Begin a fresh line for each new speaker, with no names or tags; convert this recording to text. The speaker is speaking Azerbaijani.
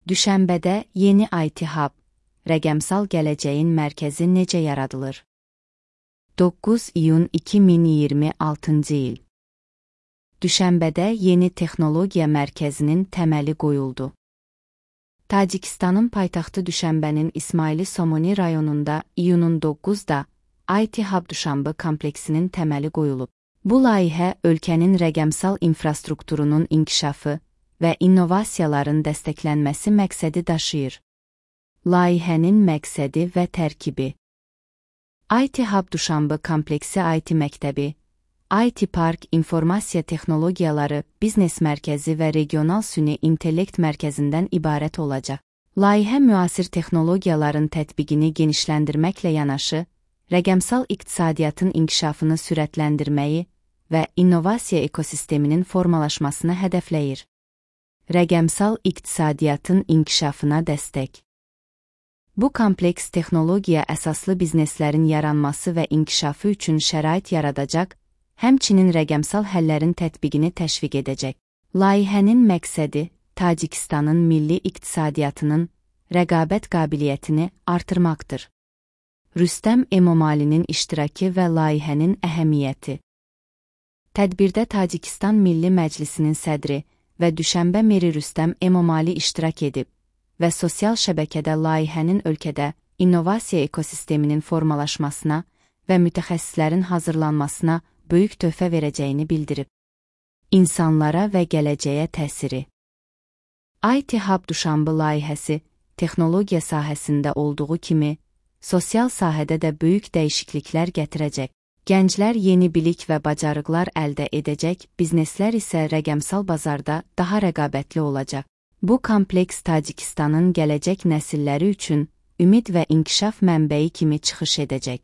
Düşənbədə yeni IT Hub, rəqəmsal gələcəyin mərkəzi necə yaradılır? 9 iyun 2026-cı il. Düşənbədə yeni texnologiya mərkəzinin təməli qoyuldu. Tacikistanın paytaxtı Düşənbənin İsmaili Somoni rayonunda iyunun 9-da IT Hub Duşanbə kompleksinin təməli qoyulub. Bu layihə ölkənin rəqəmsal infrastrukturunun inkişafı və innovasiyaların dəstəklənməsi məqsədi daşıyır. Layihənin məqsədi və tərkibi: IT Hub Duşanbə kompleksi IT məktəbi, IT Park informasiya texnologiyaları, biznes mərkəzi və regional süni intellekt mərkəzindən ibarət olacaq. Layihə müasir texnologiyaların tətbiqini genişləndirməklə yanaşı, rəqəmsal iqtisadiyyatın inkişafını sürətləndirməyi və innovasiya ekosisteminin formalaşmasını hədəfləyir. Rəqəmsal iqtisadiyyatın inkişafına dəstək. Bu kompleks texnologiya əsaslı bizneslərin yaranması və inkişafı üçün şərait yaradacaq, həmçinin rəqəmsal həllərin tətbiqini təşviq edəcək. Layihənin məqsədi Tacikistanın milli iqtisadiyyatının rəqabət qabiliyyətini artırmaqdır. Rüstəm Emomalinin iştirakı və layihənin əhəmiyyəti. Tədbirdə Tacikistan Milli Məclisinin sədri və Düşənbə meri Rüstəm Emomali iştirak edib və sosial şəbəkədə layihənin ölkədə innovasiya ekosisteminin formalaşmasına və mütəxəssislərin hazırlanmasına böyük töhfə verəcəyini bildirib. İnsanlara və gələcəyə təsiri. IT Hub Duşanbə layihəsi texnologiya sahəsində olduğu kimi, sosial sahədə də böyük dəyişikliklər gətirəcək. Gənclər yeni bilik və bacarıqlar əldə edəcək, bizneslər isə rəqəmsal bazarda daha rəqabətli olacaq. Bu kompleks Tacikistanın gələcək nəsilləri üçün ümid və inkişaf mənbəyi kimi çıxış edəcək.